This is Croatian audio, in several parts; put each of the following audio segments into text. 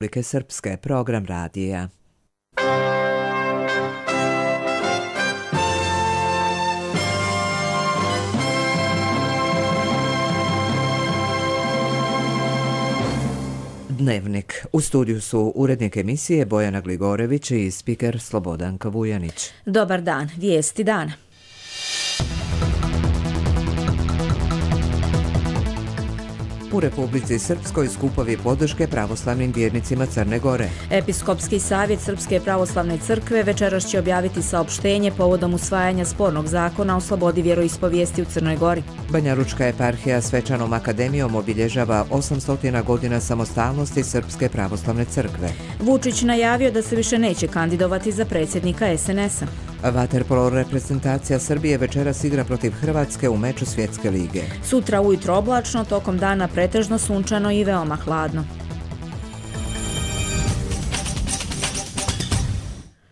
Republike Srpske, program radija. Dnevnik. U studiju su urednik emisije Bojana Gligorević i spiker Slobodanka Vujanić. Dobar dan, vijesti dana. U Republici Srpskoj skupovi podrške pravoslavnim vjernicima Crne Gore. Episkopski savjet Srpske pravoslavne crkve večeras će objaviti saopštenje povodom usvajanja spornog zakona o slobodi vjeroispovijesti u Crnoj Gori. Banjalučka eparhija svečanom akademijom obilježava 800 godina samostalnosti Srpske pravoslavne crkve. Vučić najavio da se više neće kandidovati za predsjednika SNS-a. Vaterpolo reprezentacija Srbije večeras igra protiv Hrvatske u meču Svjetske lige. Sutra ujutro oblačno, tokom dana pretežno sunčano i veoma hladno.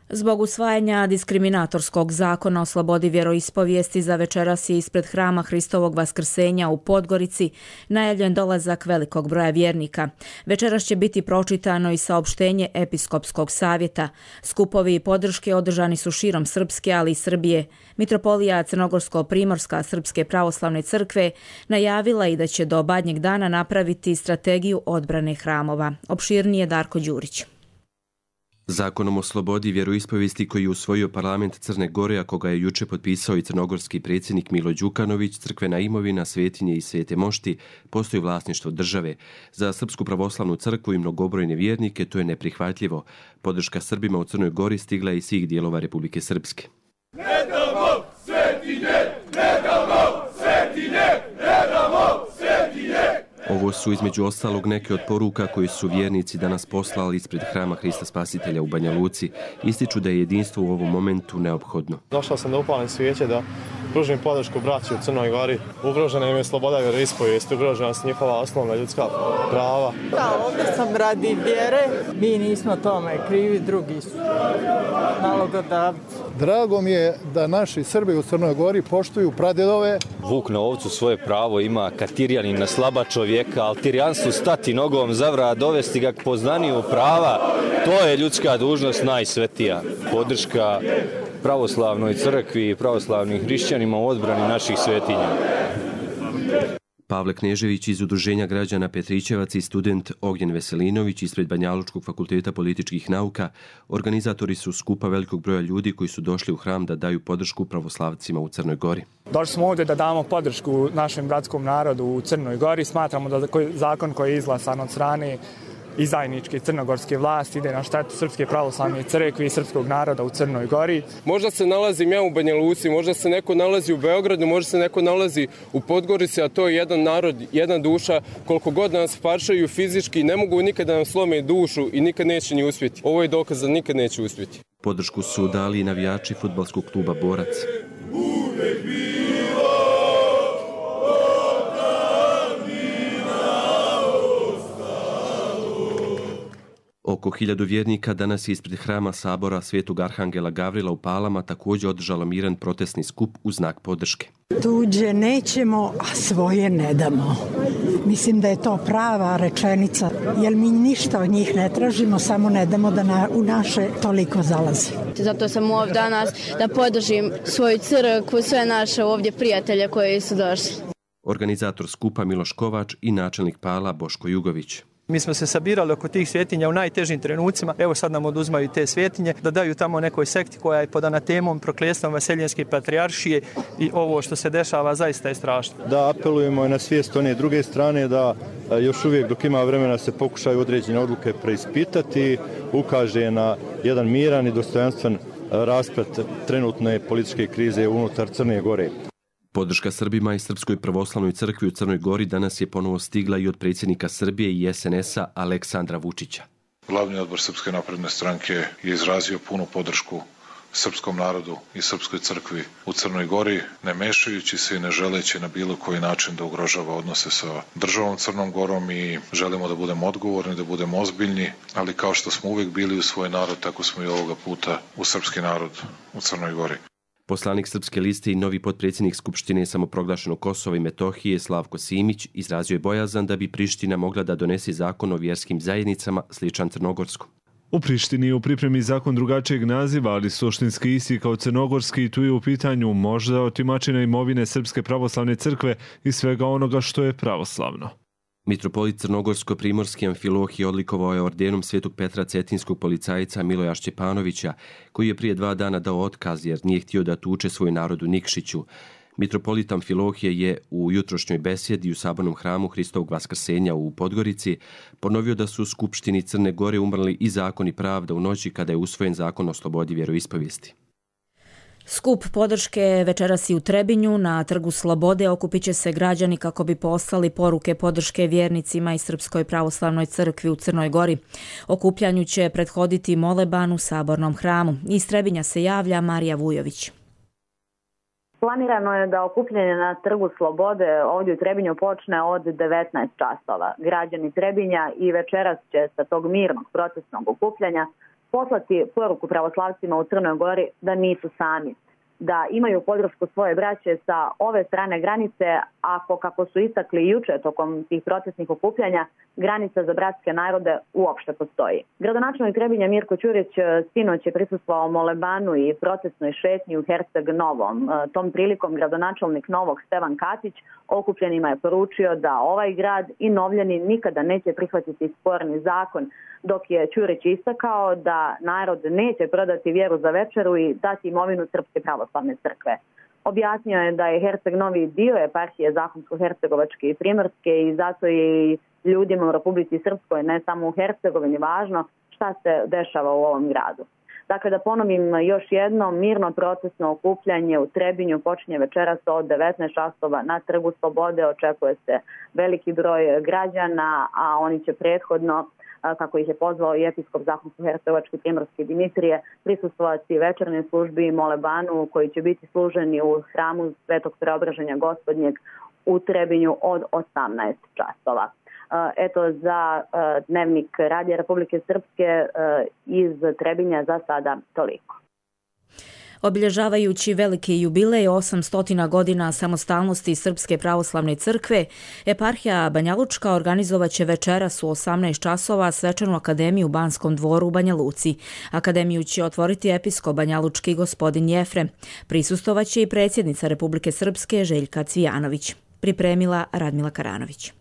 Zbog usvajanja diskriminatorskog zakona o slobodi vjeroispovijesti za večeras je ispred hrama Hristovog Vaskrsenja u Podgorici najavljen dolazak velikog broja vjernika. Večeras će biti pročitano i saopštenje Episkopskog savjeta. Skupovi i podrške održani su širom Srpske, ali i Srbije. Mitropolija Crnogorsko-Primorska Srpske pravoslavne crkve najavila i da će do Badnjeg dana napraviti strategiju odbrane hramova. Opširnije Darko Đurić. Zakonom o slobodi vjeroispovijesti koji je usvojio parlament Crne Gore, a koga je juče potpisao i crnogorski predsjednik Milo Đukanović, crkvena imovina, svetinje i svete mošti postoji vlasništvo države. Za Srpsku pravoslavnu crkvu i mnogobrojne vjernike to je neprihvatljivo. Podrška Srbima u Crnoj Gori stigla je iz svih dijelova Republike Srpske. Ne damo svetinje, ne damo svetinje, ne damo svetinje. Ovo su između ostalog neke od poruka koje su vjernici danas poslali ispred hrama Hrista Spasitelja u Banja Luci. Ističu da je jedinstvo u ovom momentu neophodno. Došao sam da upalim svijeće, da pružim podršku braći u Crnoj Gori. Ugrožena im je sloboda vjeroispovijesti, ugrožena su njihova osnovna ljudska prava. Da, ovdje sam radi vjere, mi nismo tome krivi, drugi su nalogodavci. Drago mi je da naši Srbi u Crnoj Gori poštuju pradjedove. Vuk na ovcu svoje pravo ima, Katirjanin na slaba čovjeka, ali Tirjanstvu stati nogom za vrat, dovesti ga k poznaniju prava, to je ljudska dužnost najsvetija. Podrška pravoslavnoj crkvi i pravoslavnim hrišćanima u odbrani naših svetinja. Pavle Knežević iz Udruženja građana Petrićevac i student Ognjen Veselinović ispred Banjalučkog fakulteta političkih nauka, organizatori su skupa velikog broja ljudi koji su došli u hram da daju podršku pravoslavcima u Crnoj Gori. Došli smo ovdje da damo podršku našem bratskom narodu u Crnoj Gori. Smatramo da zakon koji je izglasan od strane izdajničke crnogorske vlasti ide na štetu Srpske pravoslavne crkve i srpskog naroda u Crnoj Gori. Možda se nalazim ja u Banja Luci, možda se neko nalazi u Beogradu, možda se neko nalazi u Podgorici, a to je jedan narod, jedna duša. Koliko god nas paršaju fizički, ne mogu nikada nam slome dušu i nikad neće ni uspjeti. Ovo je dokaz da nikad neće uspjeti. Podršku su dali i navijači fudbalskog kluba Borac. Oko 1000 vjernika danas je ispred hrama Sabora Svetog Arhangela Gavrila u Palama također održalo miran protestni skup u znak podrške. Tuđe nećemo, a svoje ne damo. Mislim da je to prava rečenica, jer mi ništa od njih ne tražimo, samo ne damo da u naše toliko zalazi. Zato sam ovdje danas da podržim svoju crkvu, sve naše ovdje prijatelje koji su došli. Organizator skupa Miloš Kovač i načelnik Pala Boško Jugović. Mi smo se sabirali oko tih svjetinja u najtežim trenucima. Evo sad nam oduzmaju te svjetinje, da daju tamo nekoj sekti koja je pod anatemom, prokljestom Vaseljenske patrijaršije i ovo što se dešava zaista je strašno. Da apelujemo na svijest one druge strane da još uvijek dok ima vremena se pokušaju određene odluke preispitati, ukaže na jedan miran i dostojanstven rasplet trenutne političke krize unutar Crne Gore. Podrška Srbima i Srpskoj pravoslavnoj crkvi u Crnoj Gori danas je ponovo stigla i od predsjednika Srbije i SNS-a Aleksandra Vučića. Glavni odbor Srpske napredne stranke je izrazio punu podršku srpskom narodu i Srpskoj crkvi u Crnoj Gori, ne mešajući se i ne želeći na bilo koji način da ugrožava odnose sa državom Crnom Gorom i želimo da budemo odgovorni, da budemo ozbiljni, ali kao što smo uvijek bili u svoj narod, tako smo i ovoga puta u srpski narod u Crnoj Gori. Poslanik Srpske liste i novi potpredsjednik Skupštine samoproglašenog Kosova i Metohije Slavko Simić izrazio je bojazan da bi Priština mogla da donese zakon o vjerskim zajednicama sličan crnogorskom. U Prištini je u pripremi zakon drugačijeg naziva, ali suštinski isti kao crnogorski i tu je u pitanju možda otimačina imovine Srpske pravoslavne crkve i svega onoga što je pravoslavno. Mitropolit Crnogorsko-primorski Amfilohije odlikovao je ordenom Svetog Petra cetinskog policajca Miloja Šćepanovića, koji je prije 2 dana dao otkaz jer nije htio da tuče svoj narod u Nikšiću. Mitropolit Amfilohije je u jutrošnjoj besjedi u sabornom hramu Hristovog Vaskrsenja u Podgorici ponovio da su u Skupštini Crne Gore umrli i zakon i pravda u noći kada je usvojen zakon o slobodi vjeroispovijesti. Skup podrške večeras i u Trebinju. Na Trgu Slobode okupit će se građani kako bi poslali poruke podrške vjernicima i Srpskoj pravoslavnoj crkvi u Crnoj Gori. Okupljanju će prethoditi moleban u sabornom hramu. Iz Trebinja se javlja Marija Vujović. Planirano je da okupljanje na Trgu Slobode ovdje u Trebinju počne od 19 časova. Građani Trebinja i večeras će sa tog mirnog protestnog okupljanja poslati poruku pravoslavcima u Crnoj Gori da nisu sami, da imaju podršku svoje braće sa ove strane granice, ako, kako su istakli juče tokom tih protestnih okupljanja, granica za bratske narode uopšte postoji. Gradonačelnik Trebinja Mirko Ćurić sinoć je prisustvovao molebanu i protestnoj šetnji u Herceg Novom. Tom prilikom gradonačelnik Novog Stevan Katić okupljenima je poručio da ovaj grad i Novljani nikada neće prihvatiti sporni zakon, dok je Ćurić istakao da narod neće prodati vjeru za večeru i dati imovinu Srpske pravoslavne crkve. Objasnio je da je Herceg Novi dio eparhije Zahumsko-Hercegovačke i Primorske i zato je i ljudima u Republici Srpskoj, ne samo u Hercegovini, važno šta se dešava u ovom gradu. Dakle, da ponovim još jedno, mirno protestno okupljanje u Trebinju počinje večeras od 19 časova na Trgu Slobode. Očekuje se veliki broj građana, a oni će prethodno, kako ih je pozvao i episkop Zahumsko-Hercegovačke Primorske Dimitrije, prisustvovati večernoj službi i molebanu koji će biti služeni u hramu Svetog Preobraženja Gospodnjeg u Trebinju od 18 časova. Eto, za dnevnik Radija Republike Srpske iz Trebinja za sada toliko. Obilježavajući veliki jubilej 800 godina samostalnosti Srpske pravoslavne crkve, eparhija Banjalučka organizovat će večeras u 18 časova svečanu akademiju u Banskom dvoru u Banja Luci. Akademiju će otvoriti episkop banjalučki gospodin Jefrem. Prisustovat će i predsjednica Republike Srpske Željka Cvijanović. Pripremila Radmila Karanović.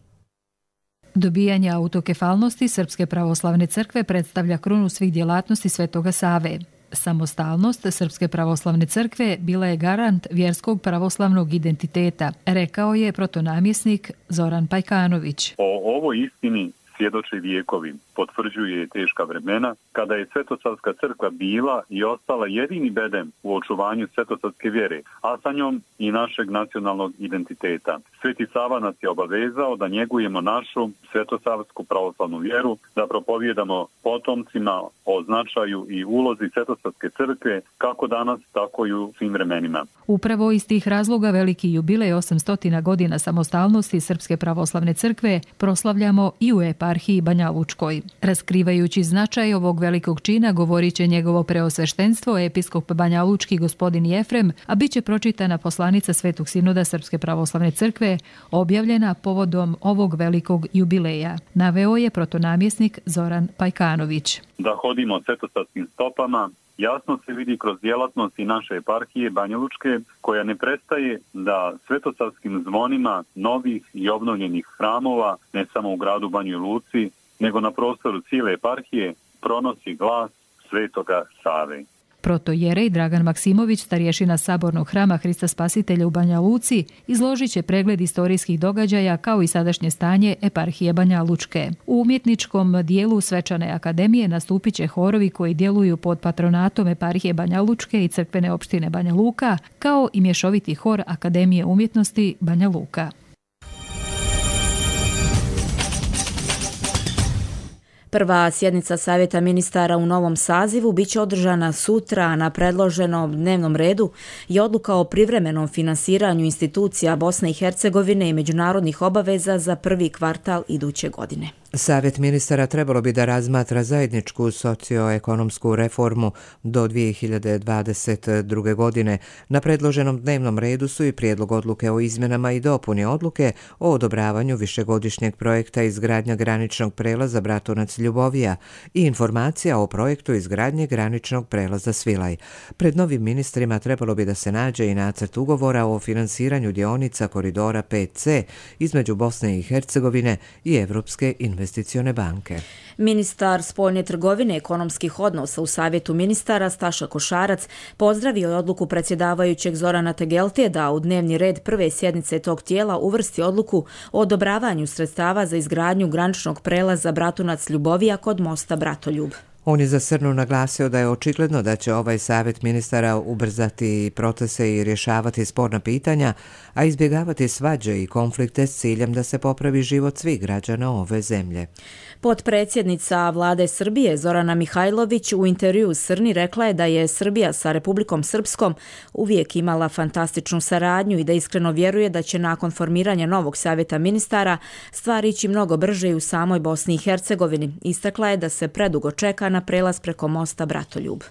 Dobijanje autokefalnosti Srpske pravoslavne crkve predstavlja krunu svih djelatnosti Svetoga Save. Samostalnost Srpske pravoslavne crkve bila je garant vjerskog pravoslavnog identiteta, rekao je protonamjesnik Zoran Pajkanović. O ovoj istini svjedoče vijekovi, potvrđuje teška vremena, kada je Svetosavska crkva bila i ostala jedini bedem u očuvanju svetosavske vjere, a sa njom i našeg nacionalnog identiteta. Sveti Sava nas je obavezao da njegujemo našu svetosavsku pravoslavnu vjeru, da propovijedamo potomcima o značaju i ulozi Svetosavske crkve kako danas, tako i u svim vremenima. Upravo iz tih razloga veliki jubilej 800 godina samostalnosti Srpske pravoslavne crkve proslavljamo i u eparhiji Banjalučkoj. Raskrivajući značaj ovog velikog čina govorit će njegovo preosveštenstvo episkop Banjalučki gospodin Jefrem, a bit će pročitana poslanica Svetog sinoda Srpske pravoslavne crkve objavljena povodom ovog velikog jubileja. Naveo je protonamjesnik Zoran Pajkanović. Da hodimo svetosavskim stopama jasno se vidi kroz djelatnosti naše eparhije Banjalučke, koja ne prestaje da svetosavskim zvonima novih i obnovljenih hramova, ne samo u gradu Banjoj Luci, nego na prostoru cijele eparhije, pronosi glas Svetoga Save. Protojerej Dragan Maksimović, starješina sabornog hrama Hrista Spasitelja u Banja Luci, izložit će pregled istorijskih događaja kao i sadašnje stanje eparhije Banja Lučke. U umjetničkom dijelu Svečane akademije nastupit će horovi koji djeluju pod patronatom eparhije Banja Lučke i crkvene opštine Banja Luka, kao i mješoviti hor Akademije umjetnosti Banja Luka. Prva sjednica Savjeta ministara u novom sazivu biće održana sutra. Na predloženom dnevnom redu je odluka o privremenom finansiranju institucija Bosne i Hercegovine i međunarodnih obaveza za prvi kvartal iduće godine. Savjet ministara trebalo bi da razmatra zajedničku socioekonomsku reformu do 2022. godine. Na predloženom dnevnom redu su i prijedlog odluke o izmjenama i dopuni odluke o odobravanju višegodišnjeg projekta izgradnja graničnog prelaza Bratunac-Ljubovija i informacija o projektu izgradnje graničnog prelaza Svilaj. Pred novim ministrima trebalo bi da se nađe i nacrt ugovora o finansiranju dionica koridora 5C između Bosne i Hercegovine i Evropske investicione banke. Ministar spoljne trgovine i ekonomskih odnosa u Savjetu ministara Staša Košarac pozdravio je odluku predsjedavajućeg Zorana Tegeltije da u dnevni red prve sjednice tog tijela uvrsti odluku o odobravanju sredstava za izgradnju graničnog prelaza Bratunac-Ljubovija kod mosta Bratoljub. On je za Srnu naglasio da je očigledno da će ovaj savjet ministara ubrzati procese i rješavati sporna pitanja, a izbjegavati svađe i konflikte s ciljem da se popravi život svih građana ove zemlje. Potpredsjednica vlade Srbije Zorana Mihajlović u intervjuu Srni rekla je da je Srbija sa Republikom Srpskom uvijek imala fantastičnu saradnju i da iskreno vjeruje da će nakon formiranja novog savjeta ministara stvari ići mnogo brže i u samoj Bosni i Hercegovini. Istakla je da se predugo čeka na prelaz preko mosta Bratoljub.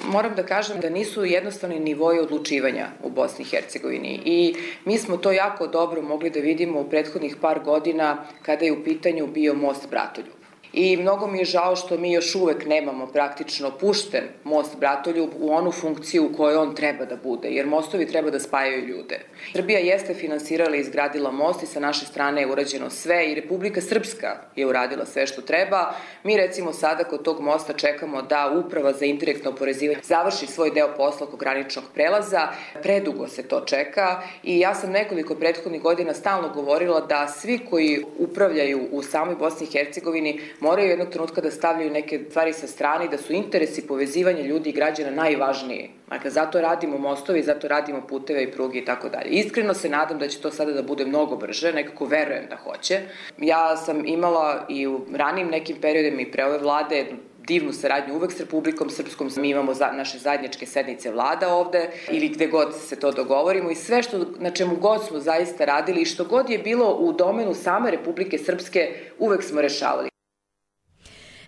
Moram da kažem da nisu jednostavni nivoji odlučivanja u Bosni i Hercegovini i mi smo to jako dobro mogli da vidimo u prethodnih par godina kada je u pitanju bio most Bratoljub. I mnogo mi je žao što mi još uvek nemamo praktično pušten most Bratoljub u onu funkciju u kojoj on treba da bude, jer mostovi treba da spajaju ljude. Srbija jeste finansirala i izgradila most i sa naše strane je urađeno sve i Republika Srpska je uradila sve što treba. Mi recimo sada kod tog mosta čekamo da Uprava za indirektno oporezivanje završi svoj deo posla oko graničnog prelaza. Predugo se to čeka i ja sam nekoliko prethodnih godina stalno govorila da svi koji upravljaju u samoj Bosni i Hercegovini moraju jednog trenutka da stavljaju neke stvari sa strane i da su interesi povezivanja ljudi i građana najvažniji. Dakle, zato radimo mostovi, zato radimo puteve i pruge i tako dalje. Iskreno se nadam da će to sada da bude mnogo brže, nekako verujem da hoće. Ja sam imala i u ranijim nekim periodima i pre ove vlade divnu saradnju uvek s Republikom Srpskom. Mi imamo naše zajedničke sednice vlada ovde ili gde god se to dogovorimo i sve na čemu god smo zaista radili i što god je bilo u domenu same Republike Srpske uvek smo rešavali.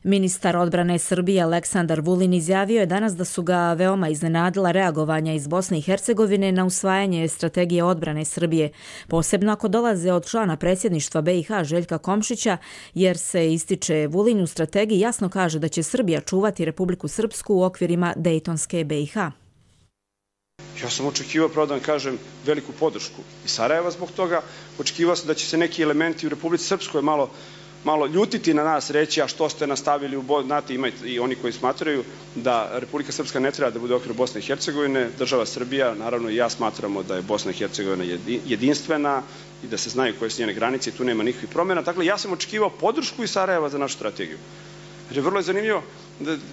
Ministar odbrane Srbije Aleksandar Vulin izjavio je danas da su ga veoma iznenadila reagovanja iz Bosne i Hercegovine na usvajanje strategije odbrane Srbije, posebno ako dolaze od člana predsjedništva BiH Željka Komšića, jer se ističe Vulin u strategiji jasno kaže da će Srbija čuvati Republiku Srpsku u okvirima Dejtonske BiH. Ja sam očekivao, pravo da vam kažem, veliku podršku i Sarajeva zbog toga. Očekivao sam da će se neki elementi u Republici Srpskoj malo ljutiti na nas, reći, a što ste nastavili u znate, ima i oni koji smatraju da Republika Srpska ne treba da bude u okviru Bosne i Hercegovine, država Srbija, naravno i ja smatramo da je Bosna i Hercegovina jedinstvena i da se znaju koje su njene granice i tu nema nikakvih promjena. Dakle, ja sam očekivao podršku iz Sarajeva za našu strategiju. Jer je vrlo zanimljivo,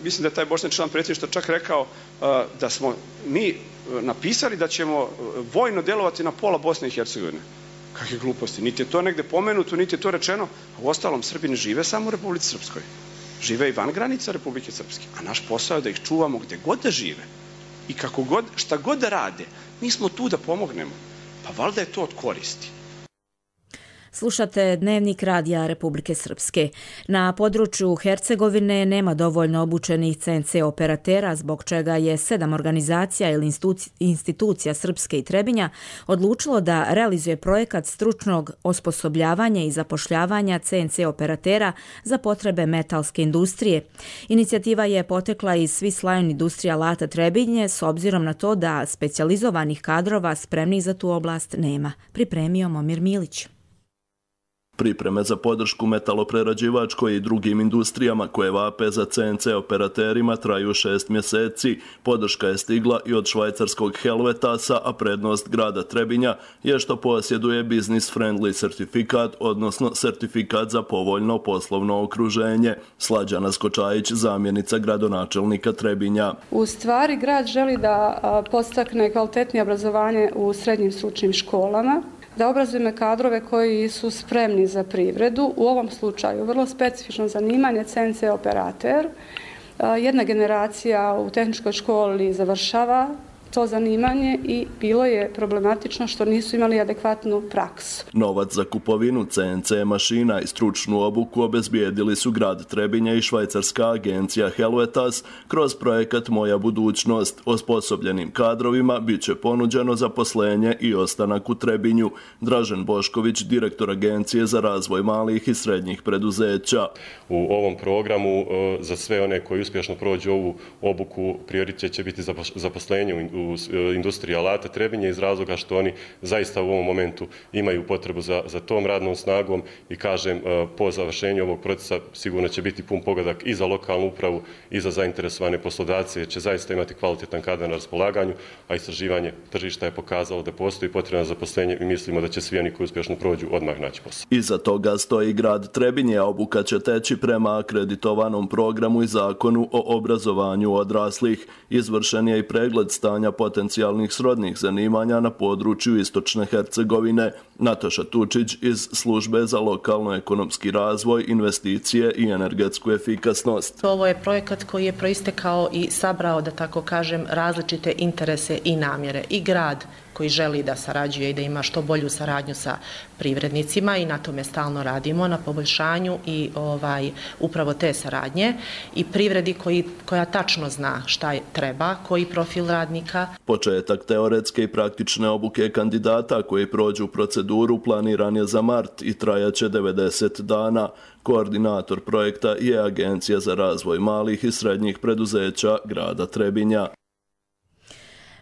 mislim da je taj bošnjački član predsjedništva čak rekao da smo mi napisali da ćemo vojno delovati na pola Bosne i Hercegovine. Kakve gluposti. Niti je to negde pomenuto, niti je to rečeno. A u ostalom, Srbi ne žive samo u Republici Srpskoj. Žive i van granica Republike Srpske. A naš posao je da ih čuvamo gde god da žive. I kako god, šta god da rade, mi smo tu da pomognemo. Pa valjda je to od koristi. Slušate Dnevnik radija Republike Srpske. Na području Hercegovine nema dovoljno obučenih CNC operatera, zbog čega je 7 organizacija ili institucija Srpske i Trebinja odlučilo da realizuje projekat stručnog osposobljavanja i zapošljavanja CNC operatera za potrebe metalske industrije. Inicijativa je potekla iz Swiss Lion Industrija Lata Trebinje s obzirom na to da specijalizovanih kadrova spremnih za tu oblast nema. Pripremio Momir Milić. Pripreme za podršku metaloprerađivačkoj i drugim industrijama koje vape za CNC operaterima traju 6 mjeseci. Podrška je stigla i od švajcarskog Helvetasa, a prednost grada Trebinja je što posjeduje Business Friendly certifikat, odnosno certifikat za povoljno poslovno okruženje. Slađana Skočajić, zamjenica gradonačelnika Trebinja. U stvari, grad želi da podstakne kvalitetnije obrazovanje u srednjim stručnim školama. da obrazujemo kadrove koji su spremni za privredu. U ovom slučaju vrlo specifično zanimanje CNC operater. Jedna generacija u tehničkoj školi završava to zanimanje i bilo je problematično što nisu imali adekvatnu praksu. Novac za kupovinu CNC mašina i stručnu obuku obezbijedili su grad Trebinje i švajcarska agencija Helvetas kroz projekat Moja budućnost. Osposobljenim kadrovima bit će ponuđeno zaposlenje i ostanak u Trebinju. Dražen Bošković, direktor Agencije za razvoj malih i srednjih preduzeća. U ovom programu za sve one koji uspješno prođu ovu obuku prioritet će biti zaposlenje u industriji alata Trebinje iz razloga što oni zaista u ovom momentu imaju potrebu za tom radnom snagom i kažem po završenju ovog procesa sigurno će biti pun pogodak i za lokalnu upravu i za zainteresovane poslodavce jer će zaista imati kvalitetan kadar na raspolaganju, a istraživanje tržišta je pokazalo da postoji potreba za zaposlenje i mislimo da će svi oni koji uspješno prođu odmah naći posao. Iza toga stoji grad Trebinje, a obuka će teći prema akreditovanom programu i zakonu o obrazovanju odraslih. Izvršen je i pregled stanja potencijalnih srodnih zanimanja na području Istočne Hercegovine. Nataša Tučić iz Službe za lokalno-ekonomski razvoj, investicije i energetsku efikasnost. Ovo je projekat koji je proistekao i sabrao, da tako kažem, različite interese i namjere. I grad koji želi da sarađuje i da ima što bolju saradnju sa privrednicima i na tome stalno radimo, na poboljšanju i upravo te saradnje i privredi koja tačno zna šta treba, koji profil radnika. Početak teoretske i praktične obuke kandidata koji prođu proceduru planiran je za mart i trajaće 90 dana. Koordinator projekta je Agencija za razvoj malih i srednjih preduzeća grada Trebinja.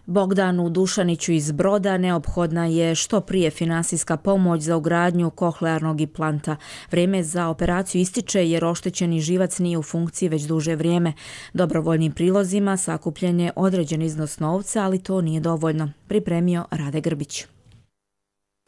Bogdanu Dušaniću iz Broda neophodna je što prije finansijska pomoć za ugradnju kohlearnog implanta. Vrijeme za operaciju ističe jer oštećeni živac nije u funkciji već duže vrijeme. Dobrovoljnim prilozima sakupljen je određen iznos novca, ali to nije dovoljno. Pripremio Rade Grbić.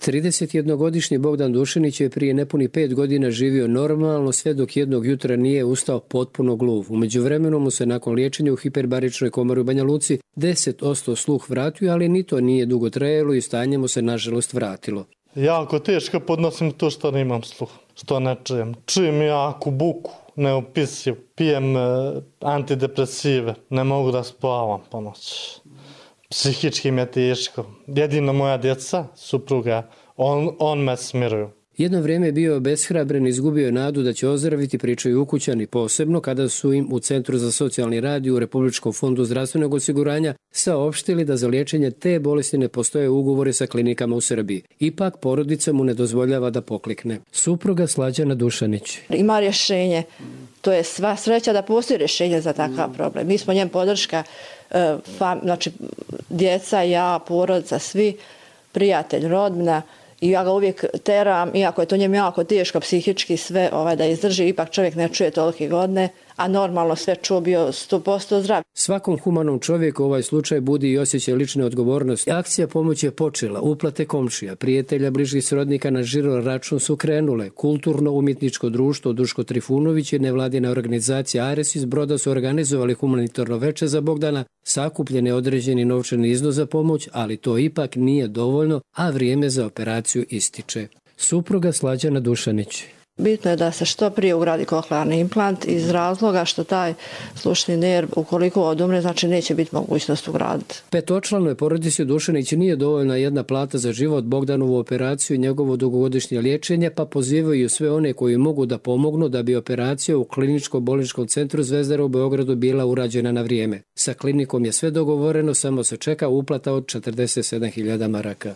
31-godišnji Bogdan Dušanić je prije nepuni 5 godina živio normalno sve dok jednog jutra nije ustao potpuno gluv. U međuvremenu mu se nakon liječenja u hiperbaričnoj komori u Banja Luci 10% sluh vratio, ali ni to nije dugo trajalo i stanje mu se nažalost vratilo. Jako teško podnosim to što nemam sluh, što ne čujem. Čujem jako buku, neopisiv, pijem antidepresive, ne mogu da spavam po noći. Psihički mi je teško. Jedino moja djeca, supruga, on me smiruju. Jedno vrijeme je bio beshrabren, izgubio nadu da će ozdraviti, pričaju ukućani, posebno kada su im u Centru za socijalni rad i u Republičkom fondu zdravstvenog osiguranja saopštili da za liječenje te bolesti ne postoje ugovori sa klinikama u Srbiji. Ipak porodica mu ne dozvoljava da poklikne. Supruga Slađana Dušanić. Ima rješenje. To je sva sreća da postoji rješenje za takav problem. Mi smo njem podrška, znači djeca, ja, porodica, svi, prijatelj, rodbina. I ja ga uvijek teram, iako je to njemu jako teško psihički sve da izdrži, ipak čovjek ne čuje tolike godine, a normalno sve čuo bio 100% zdrav. Svakom humanom čovjeku ovaj slučaj budi i osjećaj lične odgovornosti. Akcija pomoći je počela, uplate komšija, prijatelja, bližih srodnika na žiro račun su krenule. Kulturno-umjetničko društvo Duško Trifunović i nevladina organizacija Ares iz Broda su organizovali humanitarno veče za Bogdana, sakupljen je određeni novčani iznos za pomoć, ali to ipak nije dovoljno, a vrijeme za operaciju ističe. Supruga Slađana Dušanić. Bitno je da se što prije ugradi kohlearni implant iz razloga što taj slušni nerv, ukoliko odumre, znači neće biti mogućnost ugraditi. Petočlanoj porodici Dušanić nije dovoljna jedna plata za život, Bogdanovu operaciju i njegovo dugogodišnje liječenje, pa pozivaju sve one koji mogu da pomognu da bi operacija u kliničko-bolničkom centru Zvezdara u Beogradu bila urađena na vrijeme. Sa klinikom je sve dogovoreno, samo se čeka uplata od 47.000 maraka.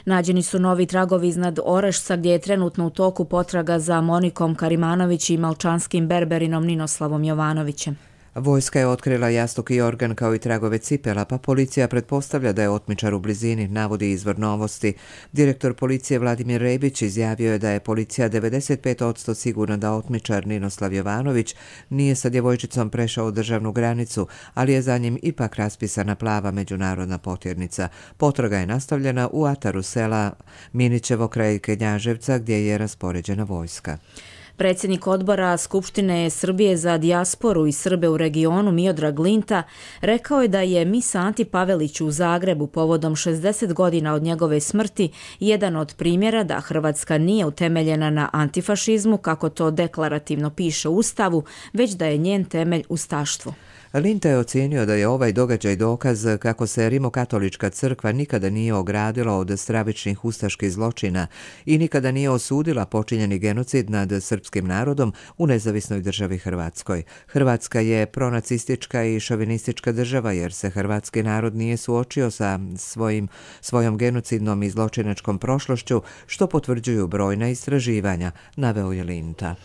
Nađeni su novi tragovi iznad Orešca gdje je trenutno u toku potraga za Monikom Karimanović i malčanskim berberinom Ninoslavom Jovanovićem. Vojska je otkrila jastuk i organ kao i tragove cipela, pa policija pretpostavlja da je otmičar u blizini, navodi izvor Novosti. Direktor policije Vladimir Rebić izjavio je da je policija 95% sigurna da otmičar Ninoslav Jovanović nije sa djevojčicom prešao državnu granicu, ali je za njim ipak raspisana plava međunarodna potjernica. Potraga je nastavljena u ataru sela Minićevo kraj Knjaževca gdje je raspoređena vojska. Predsjednik odbora Skupštine Srbije za dijasporu i Srbe u regionu Miodrag Linta rekao je da je mis Anti Paveliću u Zagrebu povodom 60 godina od njegove smrti jedan od primjera da Hrvatska nije utemeljena na antifašizmu, kako to deklarativno piše u Ustavu, već da je njen temelj ustaštvo. Linta je ocijenio da je ovaj događaj dokaz kako se Rimokatolička crkva nikada nije ogradila od stravičnih ustaških zločina i nikada nije osudila počinjeni genocid nad srpskim narodom u nezavisnoj državi Hrvatskoj. Hrvatska je pronacistička i šovinistička država jer se hrvatski narod nije suočio sa svojom genocidnom i zločinačkom prošlošću, što potvrđuju brojna istraživanja, naveo je Linta.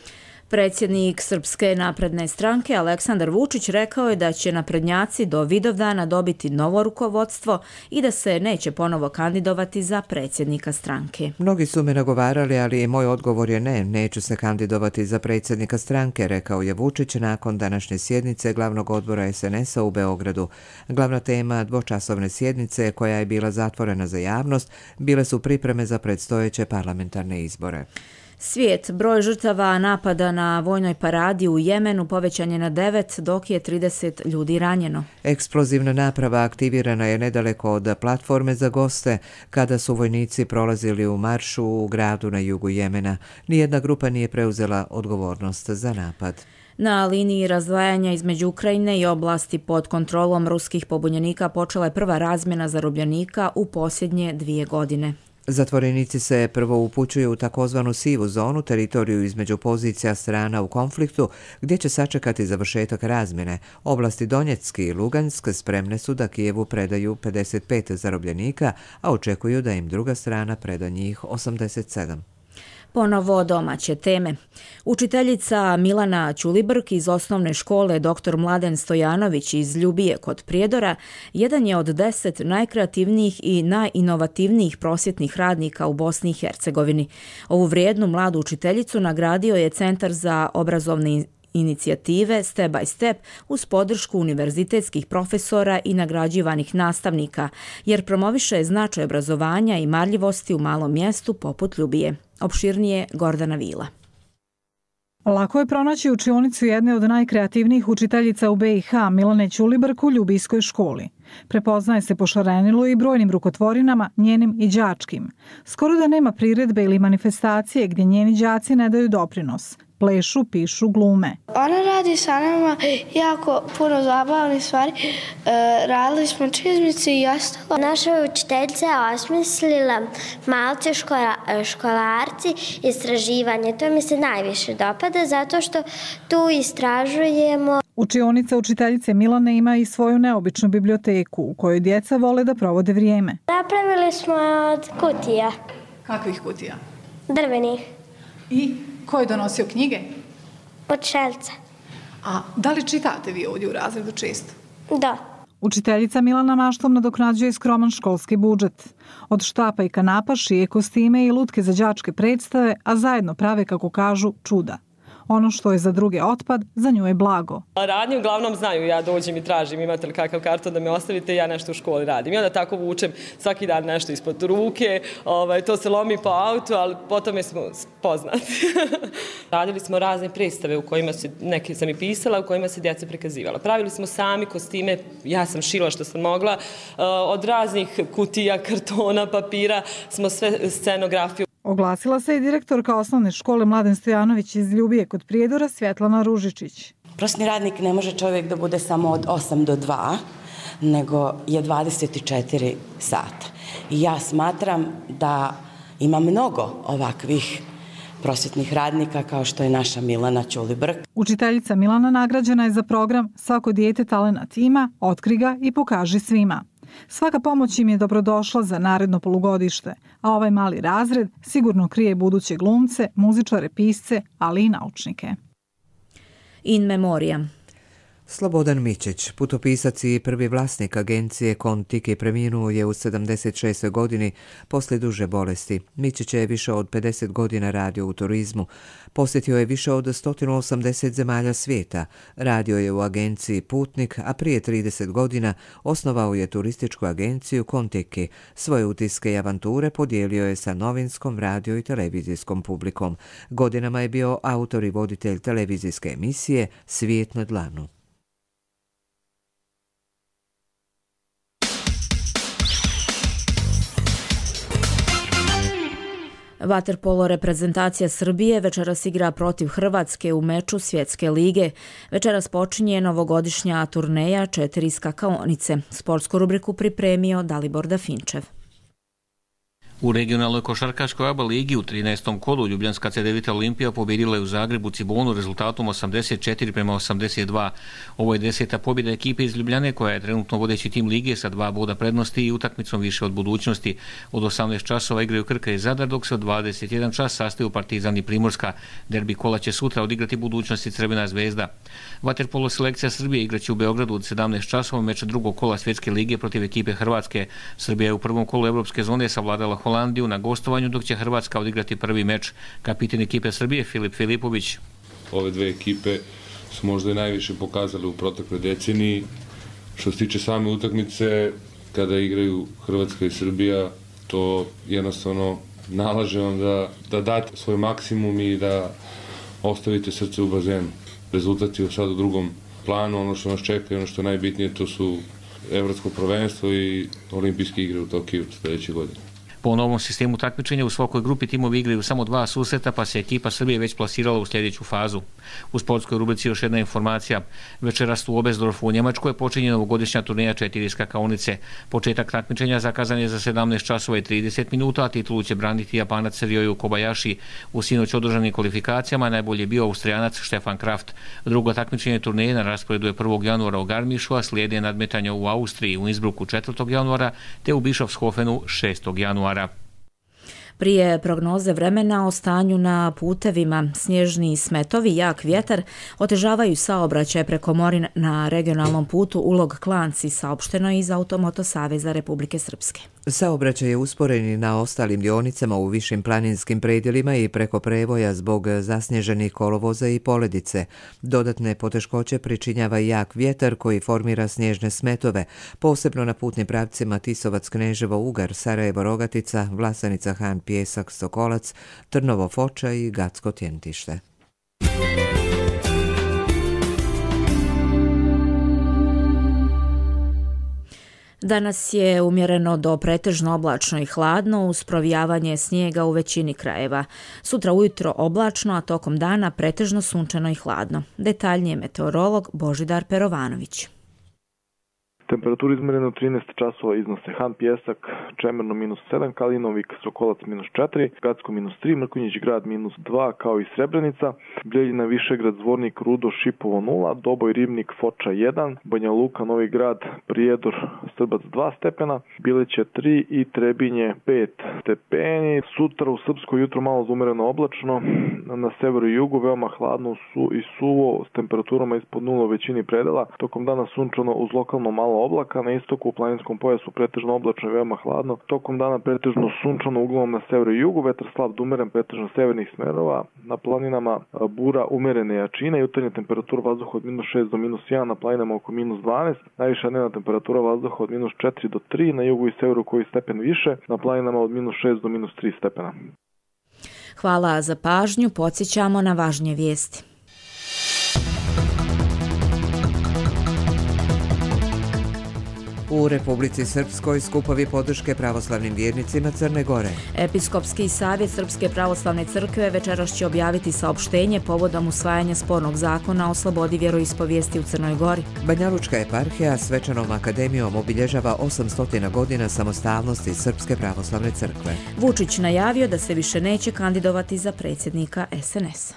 Predsjednik Srpske napredne stranke Aleksandar Vučić rekao je da će naprednjaci do Vidovdana dobiti novo rukovodstvo i da se neće ponovo kandidovati za predsjednika stranke. Mnogi su me nagovarali, ali moj odgovor je ne, neću se kandidovati za predsjednika stranke, rekao je Vučić nakon današnje sjednice glavnog odbora SNS-a u Beogradu. Glavna tema dvočasovne sjednice, koja je bila zatvorena za javnost, bile su pripreme za predstojeće parlamentarne izbore. Svijet, broj žrtava napada na vojnoj paradi u Jemenu povećan je na 9, dok je 30 ljudi ranjeno. Eksplozivna naprava aktivirana je nedaleko od platforme za goste kada su vojnici prolazili u maršu u gradu na jugu Jemena. Nijedna grupa nije preuzela odgovornost za napad. Na liniji razdvajanja između Ukrajine i oblasti pod kontrolom ruskih pobunjenika počela je prva razmjena zarobljenika u posljednje 2 godine. Zatvorenici se prvo upućuju u takozvanu sivu zonu, teritoriju između pozicija strana u konfliktu, gdje će sačekati završetak razmjene. Oblasti Donjecki i Lugansk spremne su da Kijevu predaju 55 zarobljenika, a očekuju da im druga strana preda njih 87. Ponovo domaće teme. Učiteljica Milana Ćulibrk iz osnovne škole dr. Mladen Stojanović iz Ljubije kod Prijedora jedan je od 10 najkreativnijih i najinovativnijih prosvjetnih radnika u Bosni i Hercegovini. Ovu vrijednu mladu učiteljicu nagradio je Centar za obrazovne inicijative Step by Step uz podršku univerzitetskih profesora i nagrađivanih nastavnika, jer promoviše značaj obrazovanja i marljivosti u malom mjestu poput Ljubije. Opširnije Gordana Vila. Lako je pronaći učionicu jedne od najkreativnijih učiteljica u BiH, Milane Ćulibrk u Ljubijskoj školi. Prepoznaje se po šarenilu i brojnim rukotvorinama, njenim i đačkim. Skoro da nema priredbe ili manifestacije gdje njeni đaci ne daju doprinos. Plešu, pišu, glume. Ona radi sa nama jako puno zabavnih stvari. Radili smo čizmice i ostalo. Naša učiteljica je osmislila malci školarci istraživanje. To mi se najviše dopada zato što tu istražujemo. Učionica učiteljice Milane ima i svoju neobičnu biblioteku u kojoj djeca vole da provode vrijeme. Napravili smo od kutija. Kakvih kutija? Drvenih. I ko je donosio knjige? Od šelca. A da li čitate vi ovdje u razredu često? Da. Učiteljica Milana maštom nadoknađuje skroman školski budžet. Od štapa i kanapa šije kostime i lutke za đačke predstave, a zajedno prave, kako kažu, čuda. Ono što je za druge otpad, za nju je blago. Radnje uglavnom znaju, ja dođem i tražim imate li kakav karton da me ostavite, ja nešto u školi radim. I onda tako vučem svaki dan nešto ispod ruke, to se lomi po autu, ali potom smo poznati. Radili smo razne predstave u kojima neke sam i pisala, u kojima se djeca prikazivala. Pravili smo sami kostime, ja sam šila što sam mogla, od raznih kutija, kartona, papira, smo sve scenografiju. Oglasila se i direktorka osnovne škole Mladen Stojanović iz Ljubije kod Prijedora, Svjetlana Ružičić. Prosvetni radnik ne može čovjek da bude samo od 8 do 2, nego je 24 sata. I ja smatram da ima mnogo ovakvih prosvetnih radnika kao što je naša Milana Ćulibrk. Učiteljica Milana nagrađena je za program Svako dijete talenat ima, otkri ga i pokaži svima. Svaka pomoć im je dobrodošla za naredno polugodište, a ovaj mali razred sigurno krije buduće glumce, muzičare, pisce, ali i naučnike. In memoriam. Slobodan Mićić, putopisac i prvi vlasnik agencije Kon-Tiki, preminuo je u 76. godini poslije duže bolesti. Mićić je više od 50 godina radio u turizmu. Posjetio je više od 180 zemalja svijeta. Radio je u agenciji Putnik, a prije 30 godina osnovao je turističku agenciju Kon-Tiki. Svoje utiske i avanture podijelio je sa novinskom, radio i televizijskom publikom. Godinama je bio autor i voditelj televizijske emisije Svijet na dlanu. Vaterpolo reprezentacija Srbije večeras igra protiv Hrvatske u meču Svjetske lige. Večeras počinje novogodišnja turneja 4 skakaonice. Sportsku rubriku pripremio Dalibor Dafinčev. U regionalnoj košarkaškoj ABA ligi u 13. kolu Ljubljanska CDVita Olimpija pobjedila je u Zagrebu Cibonu rezultatom 84-82. Ovo je 10. pobjeda ekipe iz Ljubljane koja je trenutno vodeći tim lige sa 2 boda prednosti i utakmicom više od budućnosti. Od 18 časova igraju Krka i Zadar, dok se od 21 čas sastaju Partizan i Primorska. Derbi kola će sutra odigrati budućnost i Crvena zvezda. Vaterpolo selekcija Srbije igraće u Beogradu od 17 časova meč drugog kola Svjetske lige protiv ekipe Hrvatske. Srbija je u prvom kolu evropske zone savladala Holandiju na gostovanju, dok će Hrvatska odigrati prvi meč. Kapitan ekipe Srbije Filip Filipović. Ove dve ekipe su možda i najviše pokazali u protekloj deceniji. Što se tiče same utakmice, kada igraju Hrvatska i Srbija, to jednostavno nalaže vam da date svoj maksimum i da ostavite srce u bazenu. Rezultat je sad u drugom planu, ono što nas čeka i ono što je najbitnije, to su evropsko prvenstvo i olimpijske igre u Tokiju sljedeće godine. Po novom sistemu takmičenja u svakoj grupi timovi igraju samo 2 susreta, pa se ekipa Srbije već plasirala u sljedeću fazu. U sportskoj rubrici još jedna informacija. Večeras u Oberstdorfu u Njemačkoj počinje novogodišnja turneja 4 skakaonice. Početak takmičenja zakazan je za 17 časova i 30 minuta, a titulu će braniti Japanac Ryoyu Kobayashi. U sinoć održanim kvalifikacijama najbolje je bio Austrijanac Stefan Kraft. Drugo takmičenje turneje na rasporedu je 1. januara u Garmišu, a slijede nadmetanja u Austriji, u Innsbrucku 4. januara, te u Bischofshofenu 6. januara. Prije prognoze vremena o stanju na putevima, snježni smetovi, jak vjetar otežavaju saobraćaj preko Morin na regionalnom putu Ulog Klanci, saopšteno iz Automoto Saveza Republike Srpske. Saobraćaj je usporen i na ostalim dionicama u višim planinskim predjelima i preko prevoja zbog zasnježenih kolovoza i poledice. Dodatne poteškoće pričinjava i jak vjetar koji formira snježne smetove, posebno na putnim pravcima Tisovac-Kneževo-Ugar, Sarajevo-Rogatica, Vlasanica-Han Pjesak, Sokolac, Trnovo-Foča i Gacko-Tjentište. Danas je umjereno do pretežno oblačno i hladno uz provijavanje snijega u većini krajeva. Sutra ujutro oblačno, a tokom dana pretežno sunčano i hladno. Detaljnije meteorolog Božidar Perovanović. Temperaturi izmjerene u 13 časova iznose Han Pjesak, Čemerno -7, Kalinovik, Sokolac -4, Gacko -3, Mrkonjić grad -2, kao i Srebrenica, Bljeljina, Višegrad, Zvornik, Rudo, Šipovo 0, Doboj, Ribnik, Foča 1, Banja Luka, Novi Grad, Prijedor, Strbac 2 stepena, Bileće 3 i Trebinje 5 stepeni. Sutra u Srpsko jutro malo zumereno oblačno, na severu i jugu veoma hladno i suvo s temperaturama ispod 0 u većini predela, tokom dana sunčano uz lokalno malo oblaka, na istoku u planinskom pojasu pretežno oblačno i veoma hladno, tokom dana pretežno sunčano uglavnom na severu i jugu, vetar slab do umeren pretežno severnih smerova, na planinama bura umerene jačine, jutarnja temperatura vazduha od -6 do -1, na planinama oko -12, najviša dnevna temperatura vazduha od -4 do 3, na jugu i severu koji stepen više, na planinama od -6 do -3 stepena. Hvala za pažnju, podsjećamo na važnije vijesti. U Republici Srpskoj skupovi podrške pravoslavnim vjernicima Crne Gore. Episkopski savjet Srpske pravoslavne crkve večeras će objaviti saopštenje povodom usvajanja spornog zakona o slobodi vjeroispovijesti u Crnoj Gori. Banjalučka eparhija svečanom akademijom obilježava 800 godina samostalnosti Srpske pravoslavne crkve. Vučić najavio da se više neće kandidovati za predsjednika SNS-a.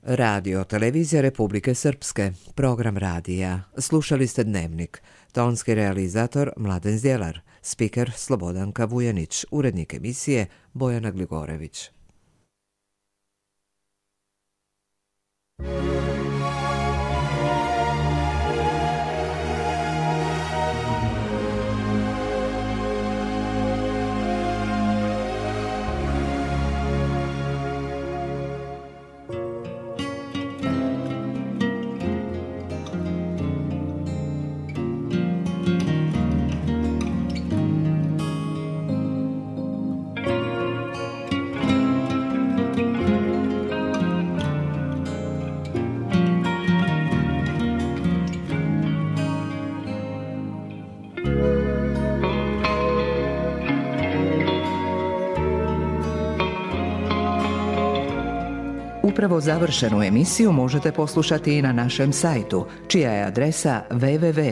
Radio Televizija Republike Srpske, program radija. Slušali ste Dnevnik. Tonski realizator Mladen Zdjelar, spiker Slobodanka Vujanić, urednik emisije Bojana Gligorević. Upravo završenu emisiju možete poslušati i na našem sajtu, čija je adresa www.rtrs.tv.